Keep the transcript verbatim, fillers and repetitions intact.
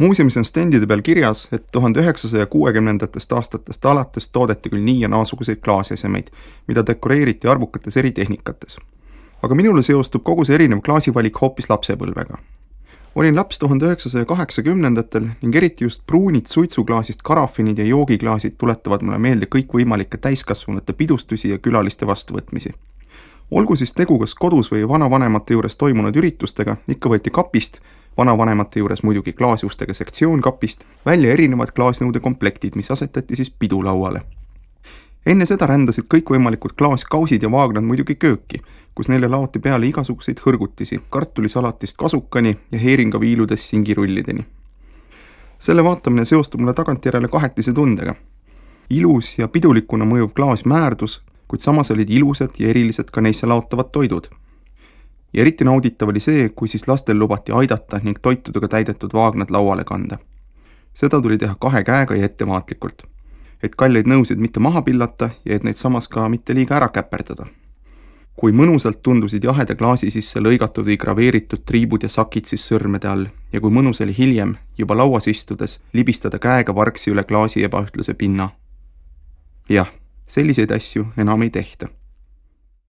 Muuseumis on stendide peal kirjas, et tuhande üheksasaja kuuekümnendatest aastatest alates toodeti küll nii ja naasuguseid klaasiesemeid, mida dekoreeriti arvukates eri tehnikates. Aga minule seostub kogu see erinev klaasivalik hoopis lapsepõlvega. Olin laps tuhande üheksasaja kaheksakümnendatel ning eriti just pruunid suitsuklaasist karafinid ja joogiklaasid tuletavad mulle meelde kõikvõimalike täiskasvanute pidustusi ja külaliste vastuvõtmisi. Olgu siis tegu kas kodus või vanavanemate juures toimunud üritustega, ikka võeti kapist, vanavanemate juures muidugi klaasjustega sektsioon kapist, välja erinevad klaasnõude komplektid, mis asetati siis pidulauale. Enne seda rändasid kõikvõimalikud klaaskausid ja vaagnad muidugi kööki, kus neile laoti peale igasuguseid hõrgutisi, kartulisalatist kasukani ja heeringaviiludest singirullideni. Selle vaatamine seostub mulle tagantjärele kahetise tundega. Ilus ja pidulikuna mõjuv klaas määrdus, kuid samas olid ilusad ja erilised ka neisse laotavad toidud. Ja eriti nauditav oli see, kui siis lastel lubati aidata ning toitudega täidetud vaagnad lauale kanda. Seda tuli teha kahe käega ja ettevaatlikult, et kalleid nõusid mitte maha pillata ja et neid samas ka mitte liiga ära käperdada. Kui mõnusalt tundusid jaheda klaasi sisse lõigatud või graveeritud triibud ja sakid siis sõrmede all ja kui mõnus oli hiljem, juba lauas istudes, libistada käega vargsi üle klaasi ebaühtluse pinna. Jah, selliseid asju enam ei tehta.